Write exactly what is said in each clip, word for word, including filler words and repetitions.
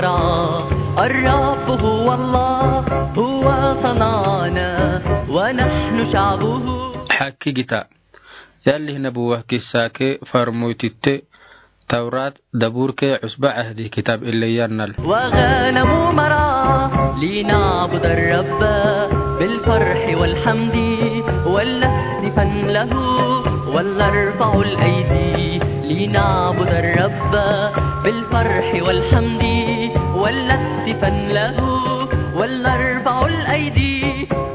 الرب هو الله، هو صنعنا ونحن شعبه. Hakkigita. Yalli nabuwa kissa ke farmoytitte Tawrat daburke Usba Ahdi kitab ille yannal. وغنم مرعى لنعبد الرب بالفرح والحمد ولنهتفن له ولنرفع الأيدي لنعبد الرب بالفرح والحمد ولنهتفن له ولنرفع الأيدي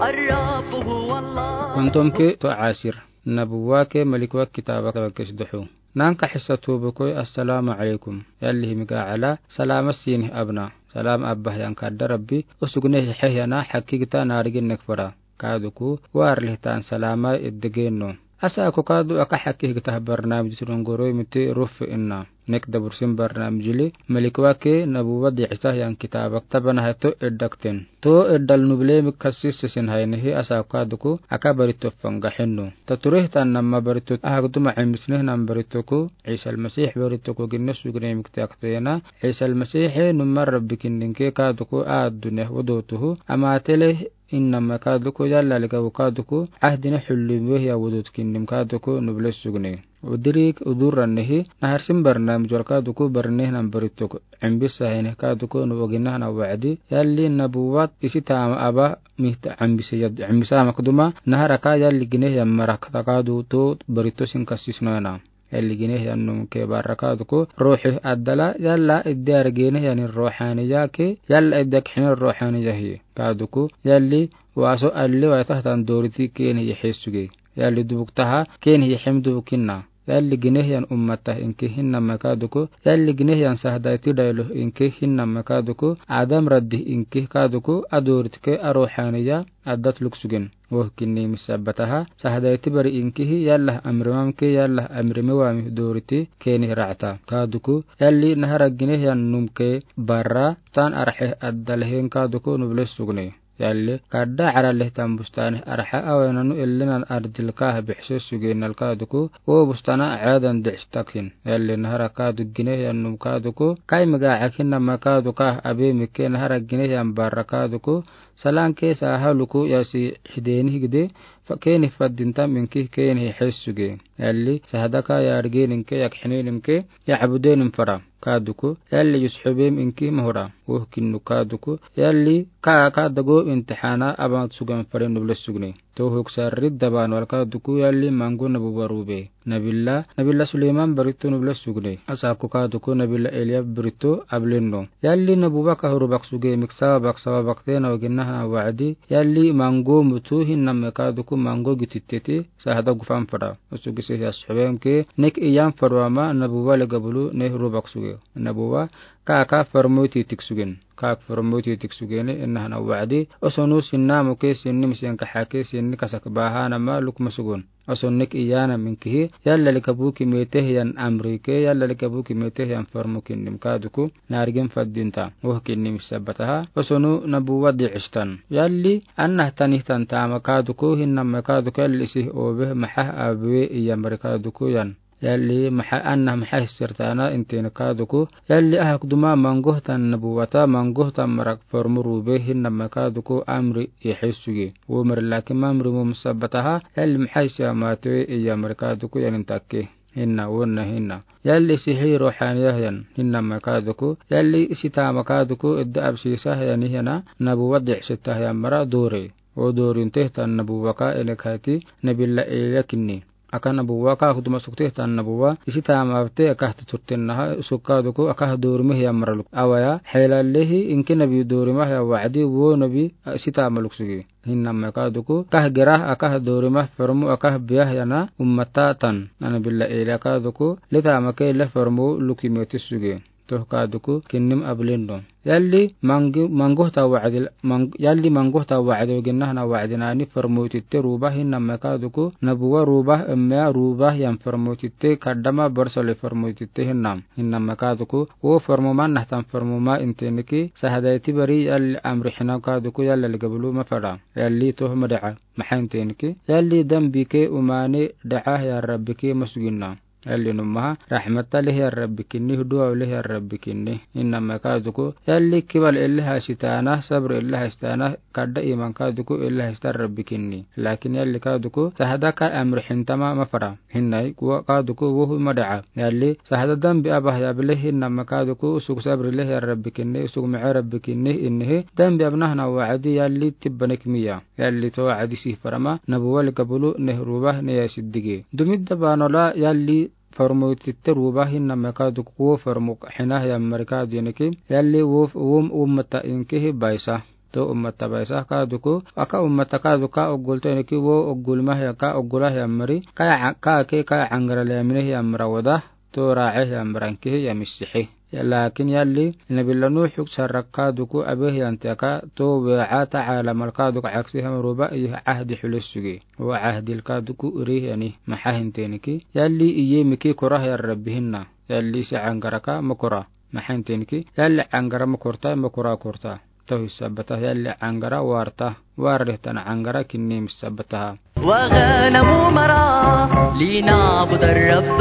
الرب هو الله. Kontom ke to asir. Nabuwa ke Malikwa kitaba ke sdexu. Nanka hissa tubu koy, assalamu alaykum. Yalli himiga ala, salama sinih abna. Salam abbah yan kadda Rabbi, usugne hih yana, hakkigita naarigin nek fara. Kaduku, war lihtan salama iddegeno. Asa aku kadu aka hakkigita barnamij turun goroy miti ruf inna. Nek dabursin barnamij li, Malikwa ke nabuwa di'isa yan kitaba tabana hato iddakten. To iddal nuble mi kassis sisin haynihi asa aku kaduku aka barito fanga hennu. Tatureh tan namma barito ahak duma imisneh nam baritoku, Isa al-Masih baritoku ginne sugne mikte aktena, Isa al-Masih numma Rabbi kinninke kaduku addune wudotuhu, ama tele innama kaduku yalla lika kaduku, ahdine hullim wehya wudut kinnim kaduku nuble sugne. Udirik udurrannihi, naharsin barnamij wal kaduku barneh nam barituk. Imbisa hene kaduku nubu ginahna wa'di, yalli nabuwat isi tama aba mihta imbisa yad, imbisa makduma, naharaka yalli gineh yan marak takadu to barito sin kassis noena. Yalli gineh yan num ke barra kaduku, ruhi addala, yalla iddi argineh yan ruhaniya ke, yalla iddi akhin ruhaniya hi. Kaduku, yalli waso alli waitah tan doriti keni yehisuge. Yalli dubuk taha, keni yehem dubukinna. Yalli gineh yan ummata inke hinnama kaduku, yalli gineh yan sahdaiti daylo inke hinnama kaduku, Adam raddi inke kaduku, adoritke aruhaniya addat luksugen. Woh kinni misabataha, sahdaiti bari inkihi, yalla amrimamke, yalla amrimewami doriti, keni ra'ta. Kaduku, yalli nahara gineh yan numke barra, tan arhe addalhen kaduku nuble sugne. Yalli, kadda araleh tan bustane arha awenanu ellenan ardilka bixse sugenal kaduku, o bustana adan dixstakhin. Yalli, nahara kadu gineh yan num kaduku, kai mega akinama kaduka abe mike nahara gineh yan barra kaduku, salanke saha luku yasi hideni higde, fa keni faddintam inki keni hessuge. Yalli, sahadaka yargeninke, yakhininimke, ya'budenim fara. Kaduku, yalli yusxubem inki mahura. Woh kinnu kaduku, yalli ka, ka dago imtixana aban sugan fare nuble sugne. To huk sarri daban wal kaduku, yalli mangu nabuwa rube. Nabila, Nabila Suleyman barito nuble sugne. Asaku kaduku, Nabila Eliya barito ablenno. Yalli nabuwa ka huru bak suge, miksawa bak sawa bak tena waginahna wa'di. Yalli mangu mutu hinname kaduku mangu gititteti, sahada gufan fara. Usugise yasxubemke, nek iyan farwama nabuwa le gabulu ne huru bak suge. Nabuwa, ka, ka farmoiti tik sugen. Ka, ka farmoiti tik sugene, inahna wa'di. Osonu sinna muke sinni misiyan kahake sinni kasak bahanama lukma sugun. Oson nek iyana minkihi, yalla likabuki meteh yan amrike, yalla likabuki meteh yan farmukin nim kaduku, nargin faddinta. Woh kinni misabataha, osonu nabuwa di'istan. Yalli, annah tanih tan tama kaduku, hinnama kaduku, yalli isih obeh, mahah abwe, iyamri kaduku yan. Yalli maha annah maha hissirtana intene kaduku. Yalli ahak duma mangohtan nabuwata, mangohtan marak farmu rube hinnama kaduku amri yehessuge. Womri laki mamri mum sabataha, yalli maha hissir matwe iyamri kaduku yanin takke. Hinna, wonna hinna. Yalli sihi ruhaniya yan, hinnama kaduku. Yalli isitama kaduku, idda absisah yani yana, nabuwa di'sitah yan mara dore. O dorinteh tan nabuwa ka enek hati, Nabila Eliya kinni. Aka nabuwa ka huduma sukteh tan nabuwa, isitama abte aka tuturten naha, sukka duku aka dormeh ya maraluk. Awaya, helalehi inke nabi dormah ya wa'di wo nabi, a, isitama luksugi. Hinnama ka duku, ka gerah aka dormah farmu aka biyah yana ummata tan. Nabila Eliya ka duku, letama ke le farmu luki meti sugi. Toh ka duku, kinnim ablendo. Yalli mangi-, mangohta wa'dil, mang-, yalli mangohta wa'dil ginnahna wa'dinani farmoytitte rubah hinnama ka duku, nabuwa rubah emmea rubah yan farmoytitte kaddama borsole farmoytitte hinnam. Hinnama ka duku, wo farmoma nahtan farmoma inteneki, sahadayti bari yalli amri hinam ka duku yalla ligabulu mafara. Yalli toh mada'a, maha inteneki. Yalli dambike umane da'a ya Rabbike masuginna. Yalli numaha, rahmata lehi Rabbi kinni, duwa lehi Rabbi kinni. Inna me kaduku, yalli kibal elle hasitaana, sabr elle hasitaana, kadda iman kaduku elle hasita Rabbi kinni. Lakin yalli kaduku, sahada ka amr hintama mafara. Hinnai, kuwa kaduku, wohu mada'a. Yalli, sahada dambi abah yab lehi, inna me kaduku, usug sabr lehi Rabbi kinni, usug ma'a Rabbi kinni, innihi, dambi abnahna wa'adi, yalli tibbanek miya. Yalli to wa'adi sih farama, nabuwal gabulu, neh ruba, neya siddige. Dumidda banola, yalli, farmo titte ruba hinna me kaduku wo farmo hina ya mari kadu yeneki, yalli wo, wo ummata inkihi baisa. To ummata baisa kaduku, aka ummata kaduka ogul to yeneki wo ogul mah ya ka ogula ya mari, ka ya, ka ke ka angara le mine ya mara wada, to ra'e ya mara inkihi ya misihi. Ya lakin yalli, nabila Nuh huk sarrak kaduku abeh yan teka, to we'a ta'ala mal kaduku aksi ham ruba ih ahdi hulis sugi. Wa ahdil kaduku uri yani, maha hinteniki. Yalli iye miki korah ya Rabbi hinna. Yalli si angara ka makora. Maha hinteniki. Yalli angara makorta, makora korta. Tohi sabata yalli angara warta. Warre tana angara kinni misabata. وغنم مرعى لنعبد الرب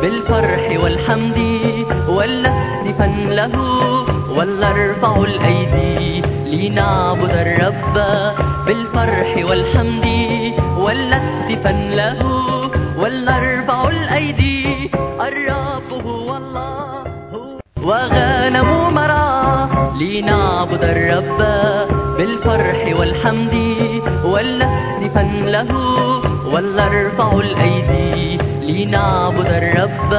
بالفرح والحمد ولنهتفن له ولنرفع الأيدي لنعبد الرب بالفرح والحمد ولنهتفن له ولنرفع الأيدي الرب هو الله. وغنم مرعى لنعبد الرب بالفرح والحمد ولنهتفن له ولنرفع الأيدي لنعبد الرب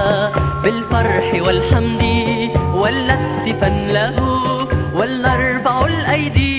بالفرح والحمد ولنهتفن له ولنرفع الأيدي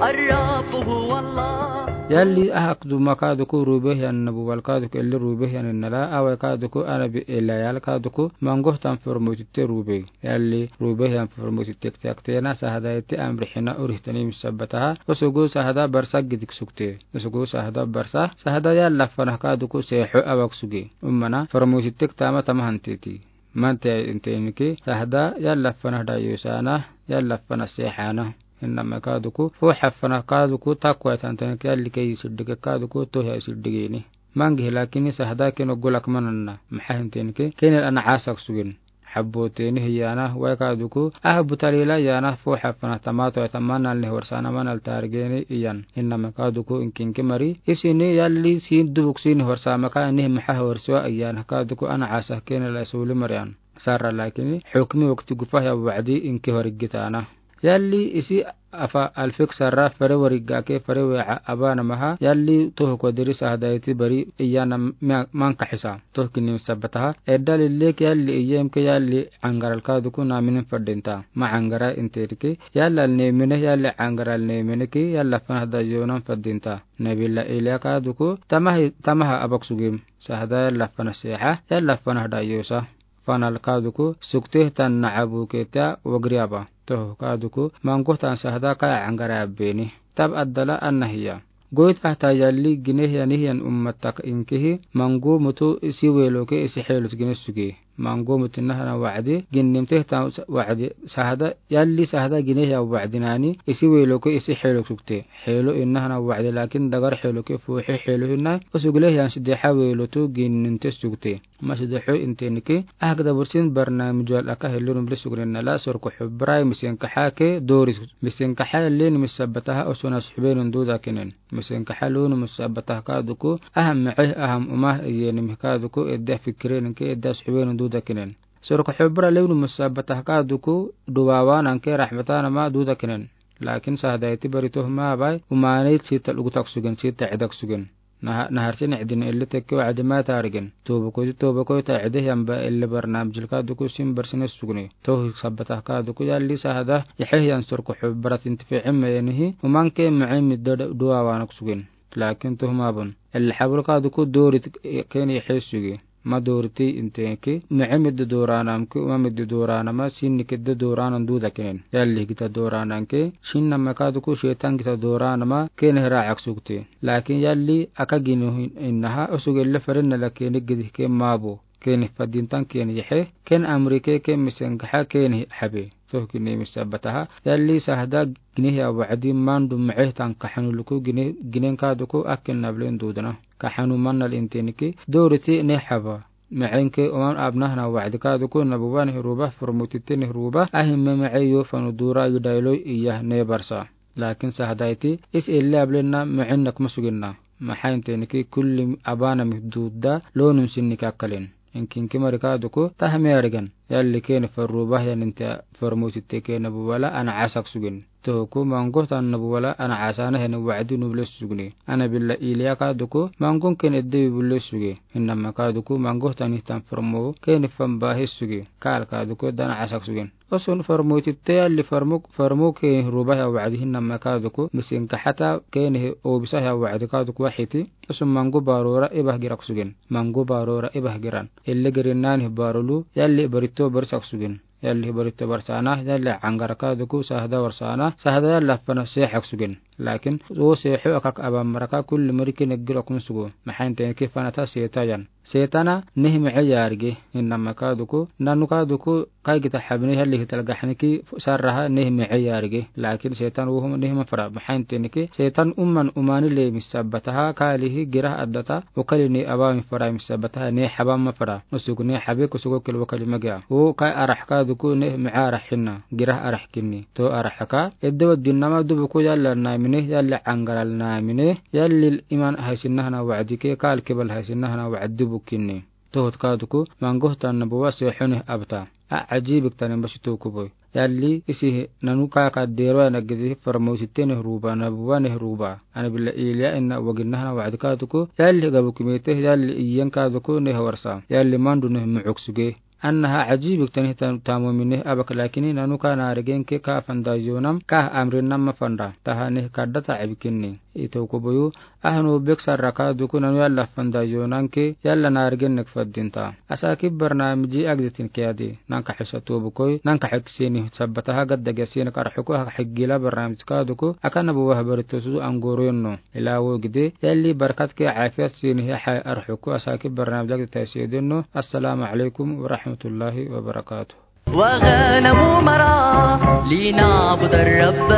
الرب هو الله. Yalli ahak duma kaduku rubeh yan nabu wal kaduku elli rubeh yan nala awe kaduku anabi elayal kaduku mangoh tan formotite rubeh. Yalli rubeh yan formotite ktiak tena sahada ite amri hina urih tani misabataha. Osugu sahada barsa gidik sukte. Osugu sahada barsa, sahada yalla fanah kaduku seho awak sugi. Ummana formotite ktama tama hantiti. Mante inte inki, sahada yalla fanah da yusana, yalla fanah sehana. Hinna me kaduku, fo hafana kaduku, takwa tantan ke yalli ke isiddige kaduku, to ya isiddigeni. Mangi lakini sahada ke no gulak mananna, maha hinten ke, kenel ana asak sugin. Habbo teni hiyana, wai kaduku, ah butalila yana, fo hafana tamato ya tamanal ne horsana manal targeni iyan. Hinna me kaduku inkin ke mari, isini yalli sin dubuk sin horsa maka nih maha horswa iyan, kaduku ana asak kenel asuli marian. Sarra lakini, hukmi wakti gufa ya wa'di inki horigitana. Yalli isi afa alfik sarra fare warigake fare we'a abana maha, yalli toh kodiri sahada iti bari iyana ma-, manka hisa. Toh kini sabataha, edda lillek yalli iyem ke yalli angaral kaduku naminin fadinta. Ma angara interiki, yalla nemine yalli angaral nemine ki, yalla fanah da yonan fadinta. Nabila Elia kaduku, tamahi, tamaha abak sugim. Sahada yalla fanah seha, yalla fanah da yosa. Fanal kaduku, sukteh tan na'abu keta wagriaba. Toh kaduku, mangoh tan sahada kaya angara abeni. Tab addala anna hiya. Goit ahta yalli gineh ya nihiyan ummatak inkihi, mangu mutu isi weloke isi helot gineh sugi. Mangu mutu nahana wa'di, ginnim teh tan wa'di sahada, yalli sahada gineh ya wa'di nani, isi weloke isi helot sukte. Helo innahana wa'di lakin dagar heloke fuhe helo hinna, osugle yan sideha welotu ginnim teh sukte. Masi doxo inteniki, ahak dabursin barnamij wal aka helun bli sugnin nala sorko xubrai misin kaxa ke doris. Misin kaxa lin misabataha osunas xubenun duda kinen. Misin kaxa lun misabataha kaduku, aham meceh aham umah iyenim kaduku edda fikirin ke edda xubenun duda kinen. Sorko xubra lewnu misabataha kaduku, duwawan anke rahmatan ama duda kinen. Lakin sahada iti bari toh ma bai, umanit sita lugutak sugin, sita edak sugin. Naha-, nahar sini cidin elli tekke wa'di ma tarigen. Toba koiti toba koita cide yamba elli barnamij kaduku sin barsine sugni. Toh sabata kaduku yalli sahada, yaxeh yan sorko xubrat intifi'in meyenihi, uman ke ma'in midda duwawanak sugin. Lakin toh ma bun. Elli xabul kaduku dorit keni yaxeh sugi. Ma doriti inteki, ma'in midda doranam ke, uman midda doranama, sinni kedda doranan duda kenen. Yalli gita doranan ke, sinna me kaduku setan gita doranama, keni ra'ak sugti. Lakin yalli aka ginu hin-, innaha, osug elle faren nala keni gidih ke mabo. Keni fadintan keni yaxeh, ken amrike ke misengaxa keni xabe. Toh keni misabataha. Yalli sahada gineh ya wa'di mandu ma'eh tan kaxanu luku gineh, ginen kaduku akin nablen dudana. Kaxanu mannal inteniki, doriti ne xaba. Mɛɛ enke oman abnahna wa'adi ka duku nabuwa ne ruba, formotite ne ruba, ahin mɛmɛɛ yo fanu dura yudaylo iya ne barsa. Lakin sahdaiti, is elle ablenna mɛɛ ennɛk masuginna. Maxaa inte niki kulli abana mi duda, lonun sinni kakkalin. Inkinki mari ka duku, tahme arigan. Yalli kene farruba ya ninte formotite ke nabuwa la ana asak sugin. Toku mangohtan nabuwa la ana asana hene wa'adi nuble sugni. Ana billa iliya ka duku, mangon ken edde yubule sugi. Innama ka duku, mangohtan ihtan formo, kene famba he sugi. Kal ka duku, dana asak sugin. Osun formotite yalli formo, formo ke ruba ya wa'adi hinnama ka duku, misin ka hata kene he obisa ya wa'adi ka duku wahiti. Osun mango barora ibah girak sugin. Mango barora ibah giran. Elle gerinnani barolu, yalli barito barisak sugin. Yalli barito barsana, yalli angara ka duku sahda warsana, sahda yalli afana sehak sugin. Lakin, o seho akak aban maraka kulli mariki neggiro kun sugu. Maxaa inte niki fanata setayan. Setana nehme eyarige, innama ka duku, nanu ka duku, kai gita habne yalli hital gahniki sarraha nehme eyarige. Lakin setan uhum nehme fara. Maxaa inte niki, setan umman umani le misabataha, kalihi girah adata, Okali ne abami fara misabataha ne habama fara. Osugu ne habe kusugu kil okali magia. O kai arah ka duku ne mɛɛ arah hinna. Girah arah kinni. To arah ka. Edde wa dinnama dubu ko yalla namine, yalla angaral namine, yalla iman haisinna hana wa'adi ke, kal kibal haisinna hana wa'adi dubu kinni. Tohot ka duku, mangohtan nabuwa sehone abta. A ajibik tanin basi toku boy. Yalli, isi nanu ka ka dero ya nagidi farmosite ne ruba, nabuwa ne ruba. Ana billa iliya inna wagin nahana wa'adi ka duku. Yalli gabu kimete, yalli iyan ka duku ne hawarsa. Yalli mandu ne mu'uk suge. Annaha ajibik tani ta-, tamomine abak lakini nanu ka narigen ke ka fanda yonam, ka amrin nama fanda. Taha ne kadda ta abikinni. Ito kubuyu, Ahanu bek sarra ka duku nanu yalla fanda yonanke, yalla narigen nek faddinta. Asaki barnamiji agditin kiyadi. Nanka hisa tobu koi, nanka hik sini sabbataha gadda gasina karhuku hak hik gila barnamij ka duku, akana buwa habari tosu angoro yonno. Ila wo gide, yalli barkat ke afiyat sini ya hay arhuku asaki barnamij agdita siyo denno. Assalamu alaikum wa rahmatullahi wa barakatuh. وغنم مرعى لنعبد الرب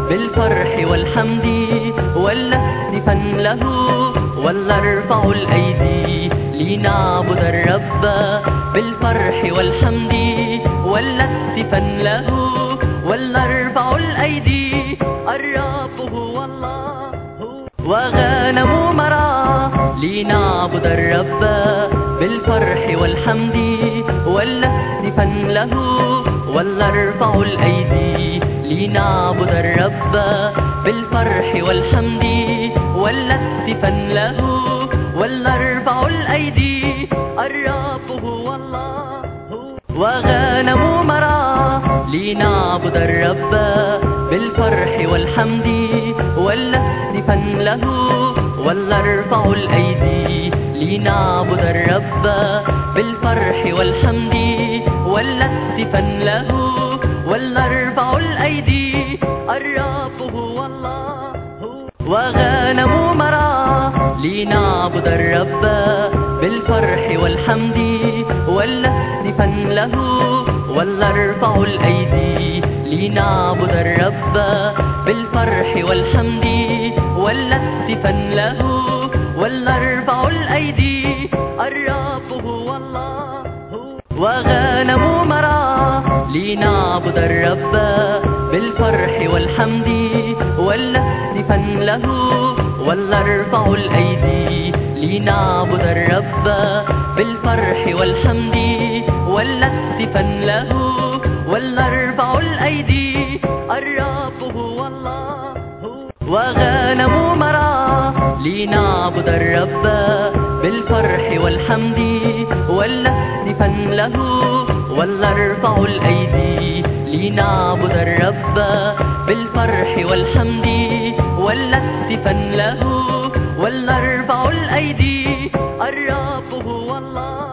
بالفرح والحمد ولنهتفن له ولنرفع الأيدي لنعبد الرب بالفرح والحمد ولنهتفن له ولنرفع الأيدي الرب هو الله. وغنم مرعى لنعبد الرب بالفرح والحمد ولنهتفن له ولنرفع الأيدي لنعبد الرب بالفرح والحمد ولنهتفن له ولنرفع الأيدي الرب هو الله. وغنم مرعى لنعبد الرب بالفرح والحمد ولنهتفن له ولنرفع الأيدي لنعبد الرب بالفرح والحمد ولنهتفن له ولنرفع الأيدي الرب هو الله. وغنم مرعى لنعبد الرب بالفرح والحمد ولنهتفن له ولنرفع الأيدي لنعبد الرب بالفرح والحمد ولنهتفن له ولنرفع الأيدي الرب هو الله. وغنم مرعى لنعبد الرب بالفرح والحمد ولنهتفن له ولنرفع الأيدي لنعبد الرب بالفرح والحمد ولنهتفن له ولنرفع الأيدي الرب هو الله. وغنم مرعى لنعبد الرب بالفرح والحمد ولنهتفن له ولنرفع الأيدي لنعبد الرب بالفرح والحمد ولنهتفن له ولنرفع الأيدي الرب هو الله.